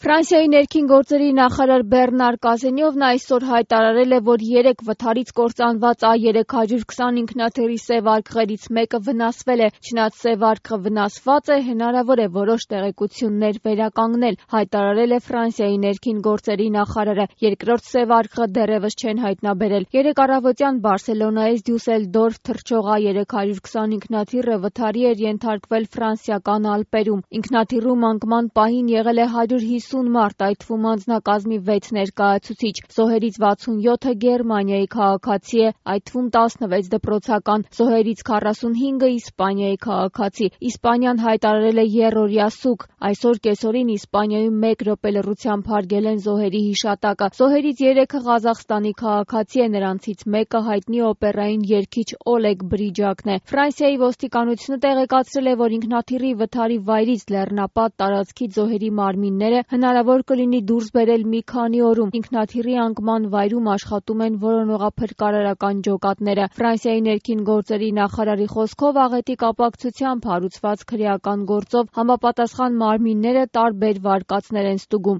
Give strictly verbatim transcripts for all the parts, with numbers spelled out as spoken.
Ֆրանսիայի ներքին գործերի նախարար Բեռնար Կազենյովն այսօր հայտարարել է, որ երեք վթարից կործանված A երեք հարյուր քսան ինքնաթիռի սև արկղերից մեկը վնասվել է, չնայած սև արկղը վնասված է, հնարավոր է որոշ տեղեկություններ վերականգնել, հայտարարել է Ֆրանսիայի ներքին գործերի նախարարը, երկրորդ սև արկղը դեռևս չեն հայտնաբերել։ Երեկ առավոտյան Բարսելոնայից Դյուսելդորֆ թռչող A երեք հարյուր քսան ինքնաթիռը վթարի էր ենթարկվել ֆրանսիական Ալպերում։ Ինքնաթիռում անկման պահին եղել է հարյուր հիսուն մարդ, այդ թվում անձնակազմի վեց ներկայացուցիչ, զոհերից վաթսունյոթը Գերմանիայի քաղաքացի է, այդ թվում տասնվեց դպրոցական, զոհերից քառասունհինգը Իսպանիայի քաղաքացի։ Իսպանիան հայտարարել է եռօրյա սուգ, այսօր կեսօրին Իսպանիայում մեկ րոպե լռությամբ հարգել են զոհերի հիշատակը։ Զոհերից երեքը Ղազախստանի քաղաքացի է, նրանցից մեկը հայտնի օպերային երգիչ Օլեգ Բրիջակն է։ Ֆրանսիայի ոստիկանությունը տեղեկացրել է, որ ինքնաթիռի վթարի վայրից լեռնապատ տարածքից զոհերի մարմինները հնարավոր կլինի դուրս բերել մի քանի օրում։ Ինքնաթիռի անկման վայրում աշխատում են որոնողափրկարարական ջոկատները։ Ֆրանսիայի ներքին գործերի նախարարի խոսքով աղետի կապակցությամբ հարուցված քրեական գործով համապատասխան մարմինները տարբեր վարկածներ են ստուգում։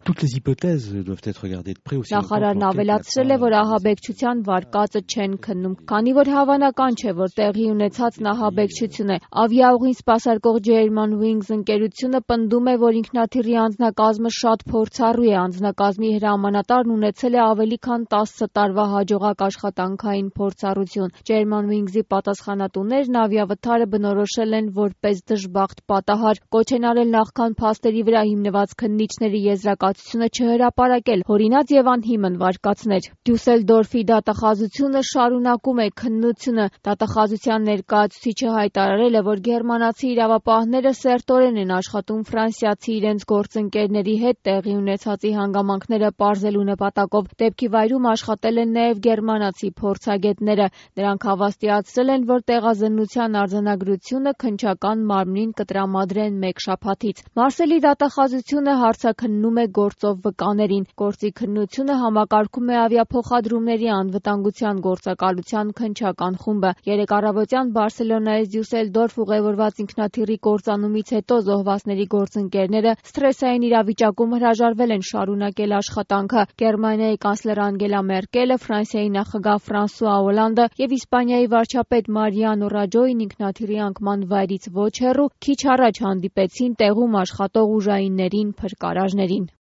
Նախարարն ավելացրել է, որ ահաբեկչության վարկածը չեն քննում, քանի որ հավանական չէ, որ տեղի ունեցածն ահաբեկչություն է։ Ավիաուղին սպասարկող Germanwings ընկերությունը պնդում է, որ ինքնաթիռի անձնակազմը շատ փորձառու է, անձնակազմի հրամանատարն ունեցել է ավելի քան տասը տարվա հաջողակ աշխատանքային փորձառություն։ Germanwings-ի պատասխանատուներն ավիավթարը բնորոշել են որպես դժբախտ պատահար, կոչ են արել նախքան փաստերի վրա հիմնված քննիչների եզրակացությունը չհրապարակել, հորինած եւ անհիմն վարկածներ։ Դյուսելդորֆի դատախազությունը շարունակում է քննությունը։ Դատախազության ներկայացուցիչը հայտարարել է, որ գերմանացի իրավապահները սերտորեն են աշխատում ֆրանսիացի իրենց գործընկերների հետ տեղի ունեցածի հանգամանքները պարզելու նպատակով։ Դեպքի վայրում աշխատել են նաև գերմանացի փորձագետները։ Նրանք հավաստիացրել են, որ տեղազննության արձանագրությունը քննչական մարմնին կտրամադրեն մեկ շաբաթից։ Մարսելի դատախազությունը հարցաքննում է գործով վկաներին։ Գործի քննությունը համակարգում է ավիափոխադրումների անվտանգության գործակալության քննչական խումբը։ Երեկ առավոտյան Բարսելոնայից Դյուսելդորֆ ուղևորված ինքնաթիռի կործանումից հետո զոհվածների գործընկերները սթրեսային իրավիճակում հրաժարվել են շարունակել աշխատանքը։ Գերմանիայի կանցլեր Անգելա Մերկելը, Ֆրանսիայի նախագահ Ֆրանսուଆ Օլանդը և Իսպանիայի վարչապետ Մարիանո Ռաջոին ինքնաթիռի անկման վայրից ոչ հեռու քիչ առաջ հանդիպեցին տեղում աշխատող ուժայիններին, փրկարարներին։